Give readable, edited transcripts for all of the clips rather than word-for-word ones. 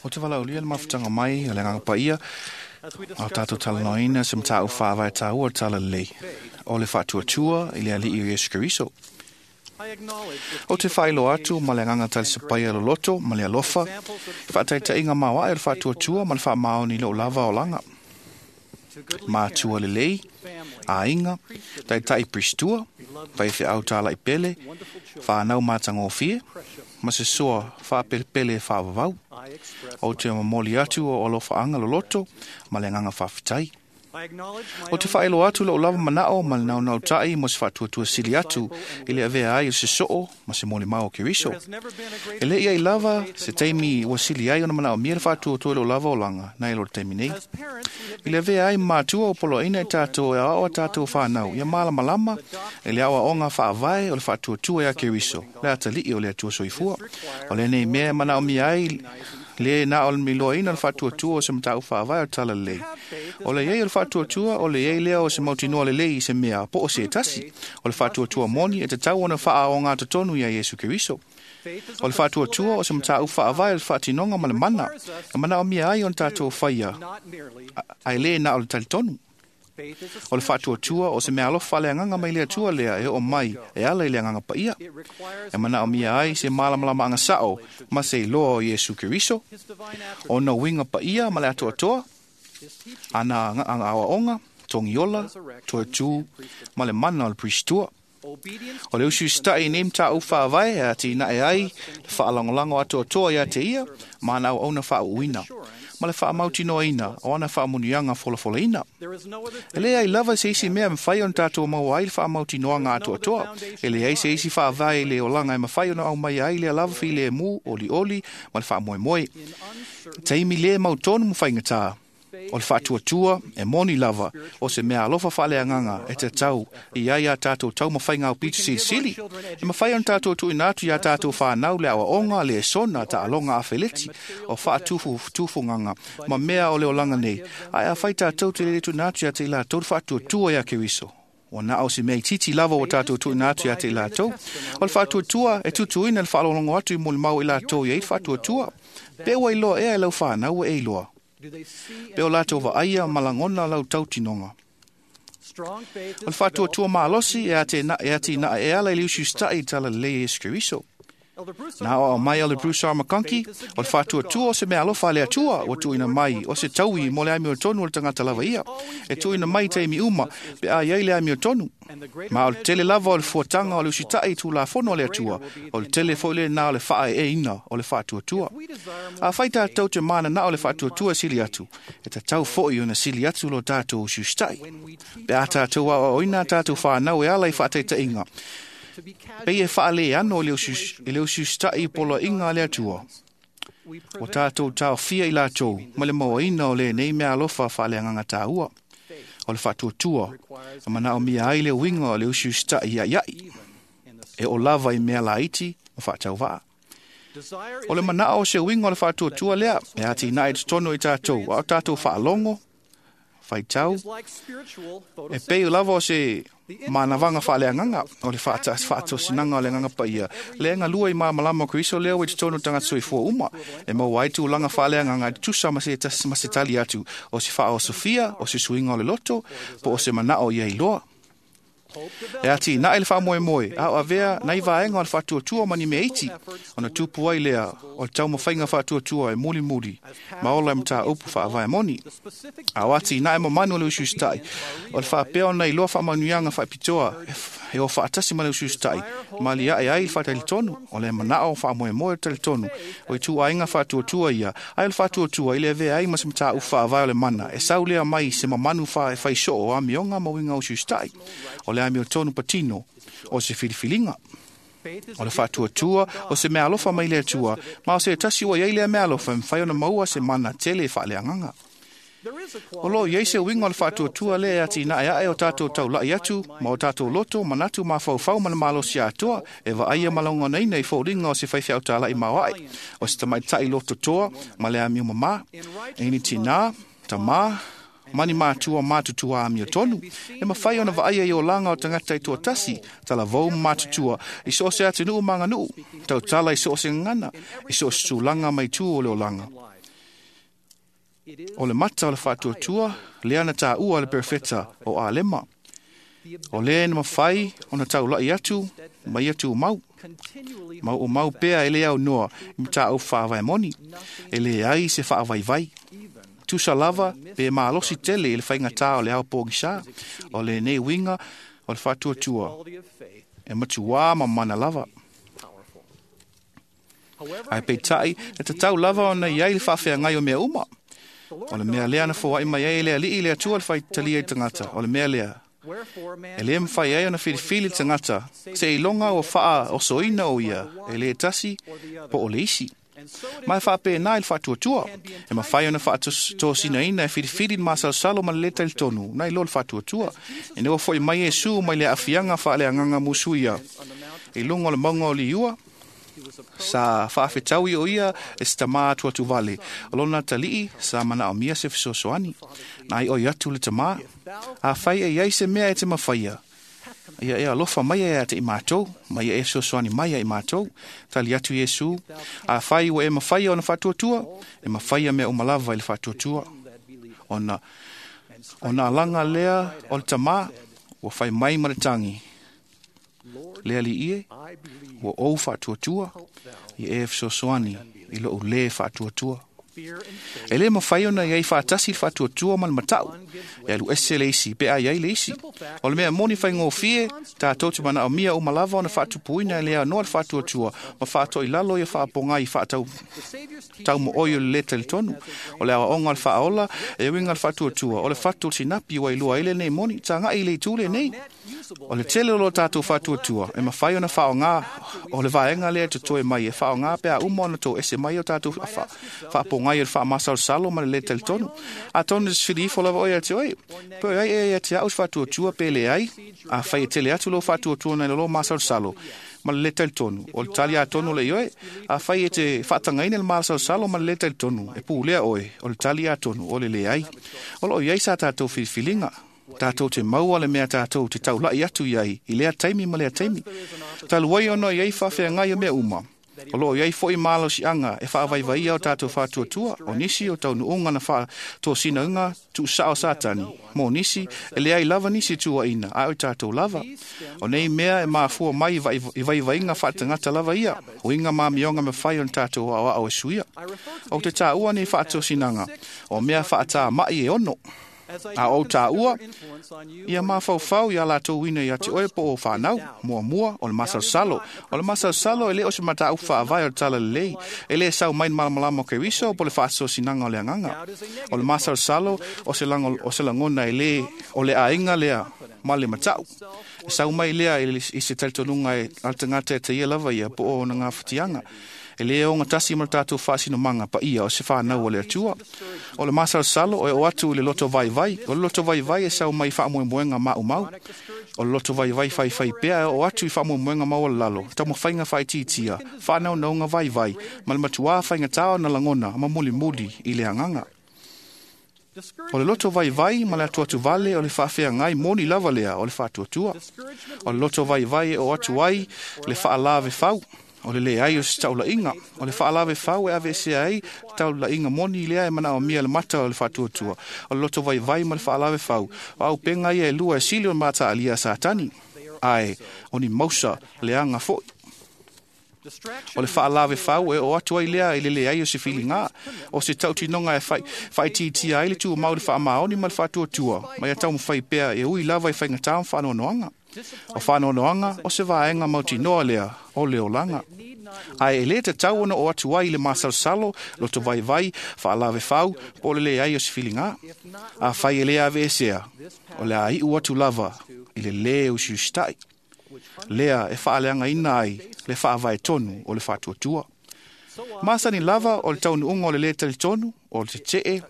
O te valaaulia le mafutaga mai o le Agaga Paia, a o tatou talanoaina se mataupu faavae taua o le Talalelei, o le faatuatua i le Alii o Iesu Keriso. Ou te faailoa atu ma le agaga talisapaia loloto ma le alofa, i faataitaiga maoae o le faatuatua ma le faamaoni i lou lava olaga. Matua lelei, aiga, taitai Pristua, faifeau talai pele, whanau matagofie, ma se soa whaapelepele e whaavavau. O te momoli atu o alofaanga loloto ma le agaga faafetai. O te faailoa atu lou lava manao ma le naunautai mo se faatuatua sili atu i le avea ai o se soo ma se molimau o Keriso. E le i ai lava se taimi ua sili ai ona manaomia le faatuatua i lou lava olaga nai lo le taimi nei. I le avea ai ma matua o poloaiina i tatou e aoao a tatou whanau ia malamalama i le aoaoga faavae o le faatuatua ia Keriso, le atalii o le Atua soifua. O lenei mea e manaomia ai le na o le miloaina o le faatuatua o se mataupu faavae o le Talalelei. O le iai o le faatuatua, o le iai lea o se mautinoa lelei i se mea po o se tasi. O le faatuatua moni e tatau ona faaoga totonu ia Iesu Keriso. O le faatuatua o se mataupu faavae o le faatinoga ma le mana, e manaomia ai ona tatou faia, ae le na o le talitonu. O le faatuatua o se mea alofa faaleagaga mai le Atua lea e oo mai e ala i le Agaga Paia. E manaomia ai se malamalamaanga sao ma se iloa o Iesu Keriso, ona uiga paia ma le atoatoa, ana aoaoga, togiola, toetū ma le mana o le Pristua. O le usiusitai i nei mataupu faavae e atinae ai le faalagolago atoatoa ia te ia ma ana auauna faauuina, ma le faamautinoaina o ana faamanuiaga folafolaina. E leai lava se isi mea e mafai ona tatou maua ai le faamautinoaga atoatoa. E leai se isi faavae i le olaga e mafai ona aumaia ai lea lava filemu, olioli ma le faamoemoe. Taimi le mautonu ma faigata. O le faatuatua e moni lava o se mea alofa faaleagaga e tatau i ai a tatou taumafaiga aupito silisili. E mafai ona tatou tuuina atu ia tatou whanau le aoaoga, le esona, taaloga afeleti, o faatufugaga ma mea o le olaga nei. Ae afai tatou te le tuuina atu ia te i latou le faatuatua ia Keriso, ua na o se mea itiiti lava ua tatou tuuina atu ia te i latou. O le faatuatua e tutuina le faalogologo atu i molimau i latou i ai le faatuatua. Pe ua iloa ea e lau whanau ua e iloa. Pe o latou vaaia ma lagona lau tautinoga. O le faatuatua malosi e atinae e ala i le usiusitai i le Talalelei e Iesu Keriso. Na aoao mai o le Bruce R. McConkie, o le faatuatua o se mea alofa a le Atua ua tuuina mai o se taui mo le amiotonu o le tagata lava ia. E tuuina mai i taimi uma pe a iai le amiotonu. Ma o le tele lava o le fuataga o le usitai i Tulafono a le Atua, o le tele foi lena o le faaeeina o le faatuatua. Afai tatou te mananao le faatuatua e sili atu, e tatau foi ona sili atu lo tatou usiusitai. Pe a tatou aoaoina a tatou whanau e ala i faataitaiga, pei e faaleano i le usiusitai i poloaiga a le Atua. O tatou taofia i latou ma le mauaina o lenei mea alofa faaleagaga taua. O le faatuatua, e manaomia ai le uiga o le usiusitai iaiai, e o lava i mea laiti ma faatauvaa. O le manao o se uiga o le faatuatua lea, e atinae i totonu i tatou, a o tatou faalogo, faitau, e pei lava o se manavaga faaleagaga o le faatosinaga o le Agaga Paia, le galue i malamalama o Keriso lea ua i totonu o tagata soifua uma, e maua ai tulaga faaleagaga e tutusa ma se tasi ma se tali atu o se faaosofia, o se suiga o le loto, po o se manao ia iloa. E atinae le faamoemoe, a o avea nai vaega o le faatuatua ma ni mea iti, ona tupu ai lea o le taumafaiga faatuatua e mulimuli ma ola e mataupu faavae moni. A o atinae mamanu o le usiusitai, o le faapea ona iloa faamanuiaga faapitoa e o faatasi ma le usiusitai, ma liae ai le faatalitonu, o le manao faamoemoe o le talitonu, o ituaiga faatuatua ia, ae o le faatuatua i le avea ai ma se mataupu faavae o le mana, e sau lea mai se mamanu e faisoo o amioga ma uiga o usiusitai, o le amiotonu patino o se filifiliga. O le faatuatua o se mea alofa mai le Atua, ma o se tasi ua iai lea mea alofa e mafai ona maua se mana tele e faaleagaga. O lo o iai se uiga o le faatuatua lea e atinae ae o tatou taulai atu ma o tatou loto, manatu mafaufau ma le malosi atoa e vaaia ma lagonaina i foliga o se faifeau talai maoae, o se tamaitai lototoa ma le amio mamā, e ni tinā, tamā, Mani mātua mātutua amio tonu. E mawhai ona vaai i o langa o tangata i tuatasi, talavou mātutua, i so se atunuu manganuu, tautala i so se ngana, i so se tūlanga mai tū o le olanga. O le mata o le whaatuatua, lea na tā ua le perfeta o Alema. O lea na mawhai o na taulai atu, mai atu mau. Mau o mau pea e le au noa, i mta au whaavai moni. E le ai se whaavai vai. Tusa lava, pe maalosi tele i le whainga tā o le au pōngisa, o le nei winga o le whaatuatua. E matuā ma mana lava. Ai peitai, e te tau lava o na iai le whaawhea ngai o mea uma. O le mea lea na fōai mai ai le alii le atua le whaitalia i tangata. O le mea lea. E le mwhai ai ona whiriwhiri tangata. Se i longa o whaa o soina o ia. E le tasi po o le isi. Mai whaapē nā i le whaatuatua. E mawhai ona whaatōsina ina e whiriwhiri masalsalo ma le leta i le tonu. Nai lo le whaatuatua. E newa foi mai e su mai le afianga wha le anganga musuia. I lunga o le maunga o li ua. Sa whaafetaui o ia e se tamā atu atu vale. O lona talii sa mana o mia se whisosoani. Nai oi atu le tamā. A whai e iai se mea e te mawhaia. Ia e alofa mai e a te i mātou. Mai e whisosoani mai e i mātou. Tali atu Iesu. A whai ua e mawhaia ona whaatuatua. E mawhaia mea umalava i le whaatuatua. Ona, ona alanga lea o le tamā. Ua whai mai ma le tangi. Lea li ie, ua ou whaatuatua, i e whisosoani, i loo le whaatuatua. E le mawhai ona iai whaatasi le whaatuatua ma le matau, e alu ese le isi, pe a iai le isi. O le mea moni whai ngōwhie, tātou te mana o mia o malava ona whaatupuina e lea noa le whaatuatua, ma whaatoa i lalo ia whaaponga i whaatau tau mo oi o le leta le tonu. O le awa onga le whaaola, e winga le whaatuatua. O le whatu o sinapi wa i lua ile nei moni, tā ngai le tūle nei. O le tele o lo tātou whaatuatua, e mawhai ona whaonga o le vaenga lea te toe mai, e whaonga pea uma ona tō ese mai o tātou whaaponga i o le whaamasal ma le leta le tonu. A tonu te whiri ifo lava oi a te oi. Pe ai e te au whaatuatua pe le ai, a whai e tele atu lo whaatuatua nei lo masal salo. Ma le leta le tonu. O le tali a tonu le ioe, a whai e te whaatangaina le masal salo ma le leta le tonu. E pūlea oe, o le tali a tonu, o le le ai. O lo iai sa tātou whiriwhiringa. Tātou te maua le mea tātou te taulai atu iai, i lea taimi ma lea taimi. Taluai ono iai whawhea ngai o mea uma. O lo iai foi malo si anga e whaavaivaia o tātou whaatuatua, o nisi o tau nuunga na whaatōsina unga tu sao satani. Mō nisi, e le ai lava nisi tua ina, a o tātou lava. O nei mea e mafua mai i vaivainga whaatangata lava ia, o inga mā mionga me whai o tātou au au e suia. O te tāua nei whaatōsinanga, o mea whaataa mai e ono. A o tā ua, ia mawhauwhau ia lātou ina ia te oe po o whanau, mua mua, o le masalsalo. O le masalsalo e le o se mata au whaavai o le tala lelei, e le sau mai malamalama o Keriso po le whaasosinaga o le anganga. O le masalsalo o se langona e le o le ainga lea ma le matau. E sau mai lea i se talitonunga e altangata e te ia lava ia po o na ngā whitianga. E le o ngā tasi ma le tātou whaasinomanga pa ia o se whanau o le atua. O le masalsalo o e o atu i le loto vai vai. O le loto vai vai e sau mai whaamoemoenga mau mau. O le loto vai vai whai whai pea e o atu i whaamoemoenga mau o lalo. Tau mawhainga whai titia. Whanau naunga vai vai. Ma le matua whainga tāo na langona ma muli muli i le anganga. O le loto vai vai ma le atu atu vale o le whaawhea ngai moni lava lea o le whaatuatua. O le loto vai vai e o atu ai le whaalave whau. O le le ai o se taulainga. O le whaalave whau e ave se ai taulainga moni lea e mana o mia le mata o le whaatuatua. O le loto vai vai ma le whaalave whau. O au penga ia e lua e sili o mata alia satani. Ai, o ni mausa le anga foi. O le whaalave whau e o atu ai lea i le le ai o se whiringa. O se tautinonga e whaititia ai le tua mau le whaamaoni ma le whaatuatua. Mai a tau mwhai pea e ui lava i whainga tāu whanonoanga. O whanonoanga o se vaenga mautinoa lea o le olanga. Ai e le te tau ona o atu ai le masalsalo, loto vai vai, whaalave whau, po le le ai o se whiringa. A whai e le ave e sea, o le ai u atu lava i le le o siustai. Lea e whaaleanga ina ai, le whaavae tonu o le whaatuatua. Masani lava o le taunuunga o le le tali tonu, o le te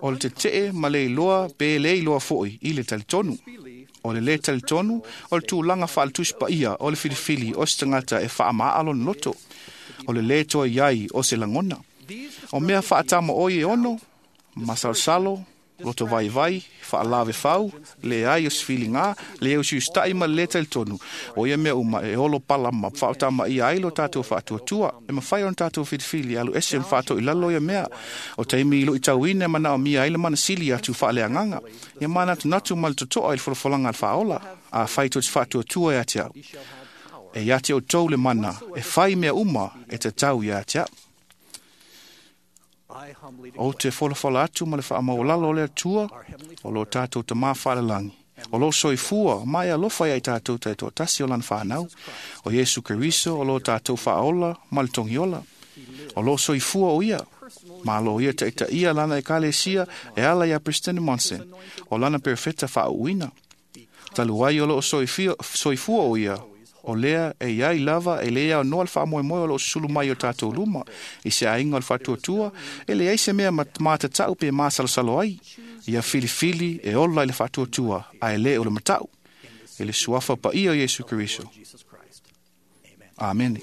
o le te ma le iloa pe le iloa foi i le tali tonu. O le le tali tonu, o le tūlanga whaaltuspa ia, o le whiriwhiri, o se tangata e whaamaalo loto. O le le toa iai o se langona. O mea whaatama oi e ono, Masalosalo, loto vaivai, faalavefau, leai o se filiga, leai o se usitaʻi ma le lē talitonu. O ia mea uma e olo pala ma faaotamaia ai lo tatou faatuatua. E mafai ona tatou filifili alu ese ma faatoilalo ia mea. O taimi i luʻitauina e manaomia ai le manasili atu faaleagaga. Ia manatunatu ma le totoa i le folafolaga a le faaola. Afai tou te faatuatua ia te au, e ia te outou le mana e fai mea uma e tatau ia te au. Ou te folafola atu ma le faamaualalo o le Atua, o lo tatou Tamā faalelagi, o lo soifua ma e alofa ia i tatou taitoatasi o lana fanau, o Iesu Keriso o lo tatou faaola ma le togiola. O lo soifua o ia, malo ia taitaia lana ekalesia e ala ia President Monson, o lana perofeta faauuina. Talu ai o loo soifua o ia, o lea e iai lava e le aonoa le faamoemoe o loo susulu mai o tatou luma i se aiga o le faatuatua, e leai se mea matatau pe masalosalo ai. Ia filifili e ola i le faatuatua, ae le o le matau. I le suafa paia o Iesu Keriso. Amene.